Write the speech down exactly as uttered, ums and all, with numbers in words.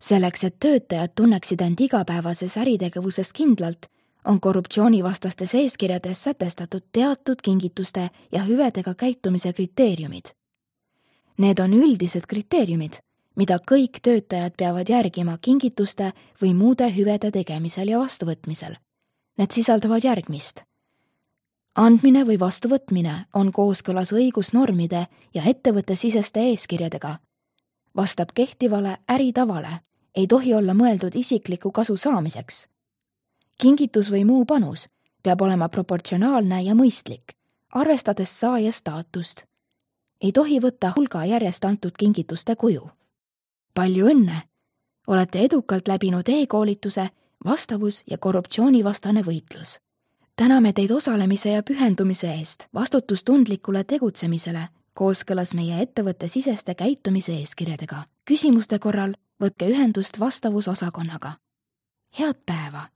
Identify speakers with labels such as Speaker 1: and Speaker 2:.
Speaker 1: Selleks, et töötajad tunneksid end igapäevases äritegevuses kindlalt, on korruptsioonivastastes eeskirjades sätestatud teatud kingituste ja hüvedega käitumise kriteeriumid. Need on üldised kriteeriumid, mida kõik töötajad peavad järgima kingituste või muude hüvede tegemisel ja vastuvõtmisel. Need sisaldavad järgmist. Andmine või vastuvõtmine on kooskõlas õigusnormide ja ettevõttesiseste eeskirjadega, vastab kehtivale äritavale, ei tohi olla mõeldud isikliku kasu saamiseks. Kingitus või muu panus peab olema proportsionaalne ja mõistlik, arvestades saaja staatust. Ei tohi võtta hulga järjest antud kingituste kuju. Palju õnne! Olete edukalt läbinud e-koolituse vastavus- ja korruptsioonivastane võitlus. Täname teid osalemise ja pühendumise eest vastutustundlikule tegutsemisele kooskõlas meie ettevõtte siseste käitumise eeskirjadega. Küsimuste korral võtke ühendust vastavusosakonnaga. Head päeva!